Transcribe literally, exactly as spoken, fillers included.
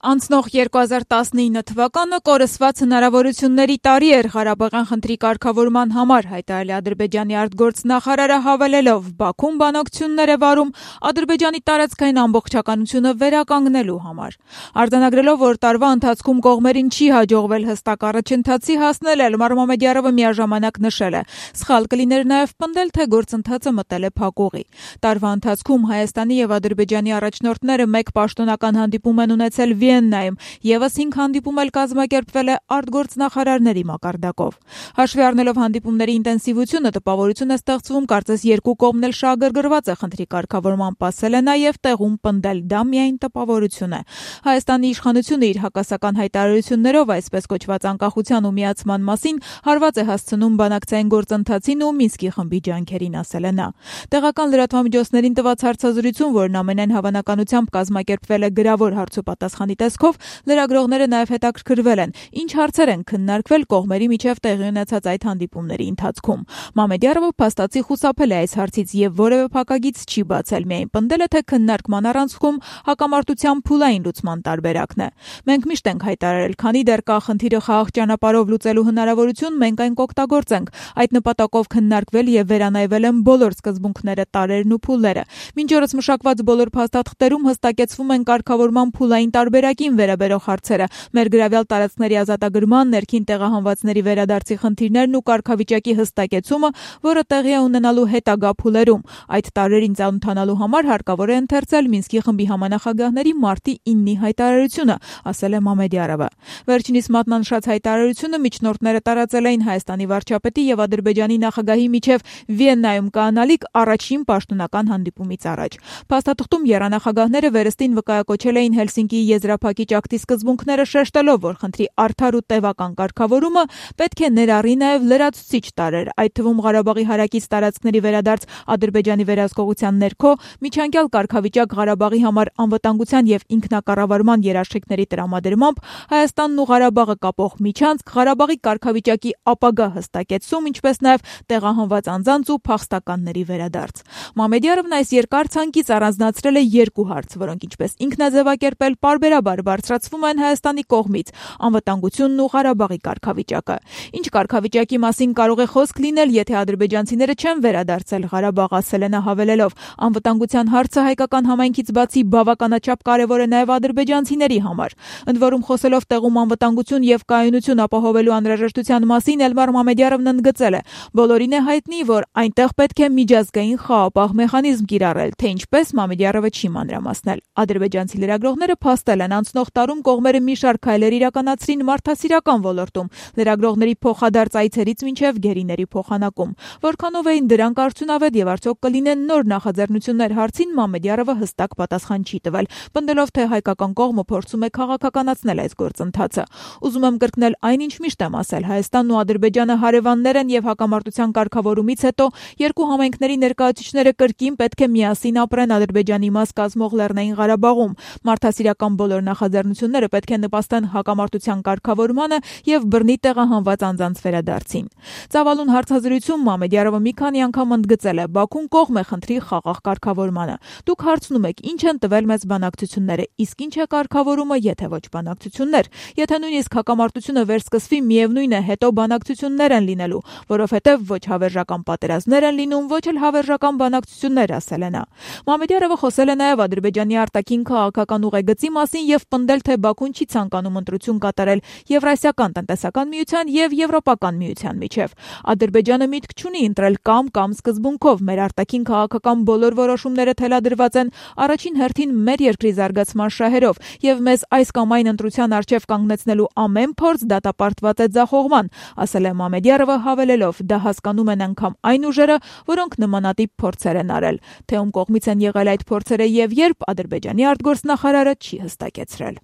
Անցնող երկու հազար տասնինը թվականը կորսված հնարավորությունների տարի էր Ղարաբաղյան խնդրի կարգավորման համար, հայտարարել է Ադրբեջանի արտգործնախարարը, հավելելով Բաքուն բանակցություններ է վարում Ադրբեջանի տարածքային ամբողջականությունը վերականգնելու համար։ Արձանագրելով, որ տարվա ընթացքում կողմերին չի հաջողվել հստակ առաջընթացի հասնել, Էլմար Մամեդյարովը միաժամանակ նշել է. սխալ կլիներ նաև պնդել, թե գործընթացը մտել է փակուղի։ Տարվա ընթացքում Հայաստանի եւ Ադրբեջանի առաջնորդները մեկ պաշտոնական հանդիպում են ունեցել Վիեննայում, ևս հինգ հանդիպում էլ կազմակերպվել է արտգործնախարարների մակարդակով։ Հաշվի առնելով հանդիպումների ինտենսիվությունը, տպավորություն է ստեղծվում, կարծես երկու կողմն էլ շահագրգռված է խնդրի կարգավորմամբ, ասել է նաև տեղում պնդել, դա միայն տպավորություն է։ Հայաստանի իշխանությունը իր հակասական հայտարարություններով, այսպես կոչված անկախության ու միացման մասին, հարված է հասցնում բանակցային գործընթացին ու Մինսկի խմբի ջանքերին, ասել է նա։ Տեղական լրատվամիջոցներին տված հարցազրույցում, որն ամենայն հավանականությամբ կազմակերպվել է գրավոր հարցոպատասխանի տեսքով, լրագրողները նաև հետաքրքրվել են, ինչ հարցեր են քննարկվել կողմերի միջև տեղի ունեցած այդ հանդիպումների ընթացքում։ Մամեդյարովը փաստացի խուսափել է այս հարցից եւ որևէ փակագիծ չի բացել, միայն պնդել է, թե քննարկման առանցքում հակամարտության փուլային լուծման տարբերակն է։ Մենք միշտ ենք հայտարարել, քանի դեռ կա խնդիրը խաղաղ ճանապարհով լուծելու հնարավորություն, մենք այն կօգտագործենք։ Այդ նպատակով քննարկվել եւ վերանայվել են բոլոր սկզբունքները, տարրերն ու փուլերը։ Մինչ օրս մշակված բոլոր փաստաթղթերում հստակեցվում են կարգավորման փուլային տարբերակին վերաբերող հարցերը, մեր գրավյալ տարածքների ազատագրման, ներքին տեղահանվածների վերադարձի խնդիրներն ու կարգավիճակի հստակեցումը, որը տեղի է ունենալու հետագա փուլերում։ Այդ տարրերին ծանոթանալու համար հարկավոր է ընթերցել Մինսկի խմբի համանախագահների մարտի իննի հայտարարությունը, ասել է Մամեդյարովը։ Վերջինիս մատնանշած հայտարարությունը միջնորդները տարածել էին Հայաստանի վարչապետի եւ Ադրբեջանի նախագահի միջև Վիեննայում կանալիք առաջին պաշտոնական հանդիպումից առաջ։ Փաստաթղթում եռանախագահները վերստին վկայակոչել էին Հելսինկիի եզրափակիչ ակտի սկզբունքները, շեշտելով, որ խնդրի արդար ու տևական կարգավորումը պետք է ներառի նաև լրացուցիչ տարրեր, այդ թվում Ղարաբաղի հարակից տարածքների վերադարձ Ադրբեջանի վերահսկողության ներքո, միջանկյալ կարգավիճակ Ղարաբաղի համար անվտանգության եւ ինքնակառավարման երաշխիքների տրամադրմամբ, Հայաստանն ու Ղարաբաղը կապող միջանցք, Ղարաբաղի կարգավիճակի ապագա հստակեցում, ինչպես նաև տեղահանված անձանց ու փախստականների վերադարձ։ Մամեդյարովն այս երկար ցանկից առանձնացրել է երկու հարց, որոնք ինչպես ինքն է ձևակերպել, պարբերաբար բարձրացվում են Հայաստանի կողմից՝ անվտանգությունն ու Ղարաբաղի կարգավիճակը։ Ինչ կարգավիճակի մասին կարող է խոսք լինել, եթե ադրբեջանցիները չեն վերադարձել Ղարաբաղ, ասել է նա, հավելելով. անվտանգության հարցը հայկական համայնքից բացի բավականաչափ կարևոր է նաև ադրբեջանցիների համար։ Ընդ որում, խոսելով տեղում անվտանգություն եւ կայունություն ապահովելու անհրաժեշտության մասին, Էլմար Մամեդյարովն ընդգծել է. բոլորին է հայտնի, որ այնտեղ պետք է միջազգային խաղապահ մեխանիզմ կիրառել, թե ինչպես Մամեդյարովը չի մանրամասնել։ Ադրբեջանցի լրագրողները փաստել են, անցնող տարում կողմերը մի շարք քայլեր իրականացրին մարդասիրական ոլորտում, լրագրողների փոխադարձ այցերից մինչև գերիների փոխանակում։ Որքանով էին դրանք արդյունավետ եւ արդյոք կլինեն նոր նախաձեռնություններ հարցին, Մամեդյարովը հստակ պատասխան չի տվել, պնդելով, թե հայկական կողմը փորձում է քաղաքականացնել այս գործընթացը։ Ուզում եմ կրկնել այն, ինչ միշտ եմ ասել, Հայաստանն ու Ադրբեջանը հարևաններ են եւ հակամարտության կարգավորումից հետո երկու համայնքների ներկայացուցիչները կրկին պետք է միասին ապրեն Ադրբեջանի մաս կազմող Լեռնային Ղարաբաղում։ Մարդասիրական բոլոր նախաձեռնությունները պետք է նպաստեն հակամարտության կարգավորմանը եւ բռնի տեղահանված անձանց վերադարձին։ Ծավալուն հարցազրույցում Մամեդյարովը մի քանի անգամ ընդգծել է. Բաքուն կողմ է խնդրի խաղաղ կարգավորմանը։ Դուք հարցնում եք, ինչ են տվել մեզ բանակցությունները, իսկ ինչ է կարգավորումը, եթե ոչ բանակցություններ։ Եթե նույնիսկ հակամարտությունը վերսկսվի, միևնույն է, հետո բանակցություններ են լինելու, որովհետեւ ոչ հավերժական պատերազմներ են լինում, ոչ էլ հավերժական բանակցություններ, ասել է նա։ Մամեդյարովը խոսել է նաև Ադրբեջանի արտաքին քաղաքական ուղեգծի մասին եւ պնդել, թե Բաքուն չի ցանկանում ընտրություն կատարել Եվրասիական տնտեսական միության եւ Եվրոպական միության միջև։ Ադրբեջանը միտք չունի ընտրել կամ-կամ սկզբունքով, մեր արտաքին քաղաքական բոլոր որոշումները թելադրված են առաջին հերթին մեր երկրի զարգացման շահերով եւ մեզ այս կամ այն ընտրության առջև կանգնեցնելու ամեն փորձ դատապարտված է ձախողման, ասել է Մամեդյարովը, հավելելով. դա հասկանում են անգամ այն ուժերը, որոնք նմանատիպ փորձեր են արել։ Թե ում կողմից են եղել այդ փորձերը եւ երբ, Ադրբեջանի արտգործնախարարը չի հստակեցրել։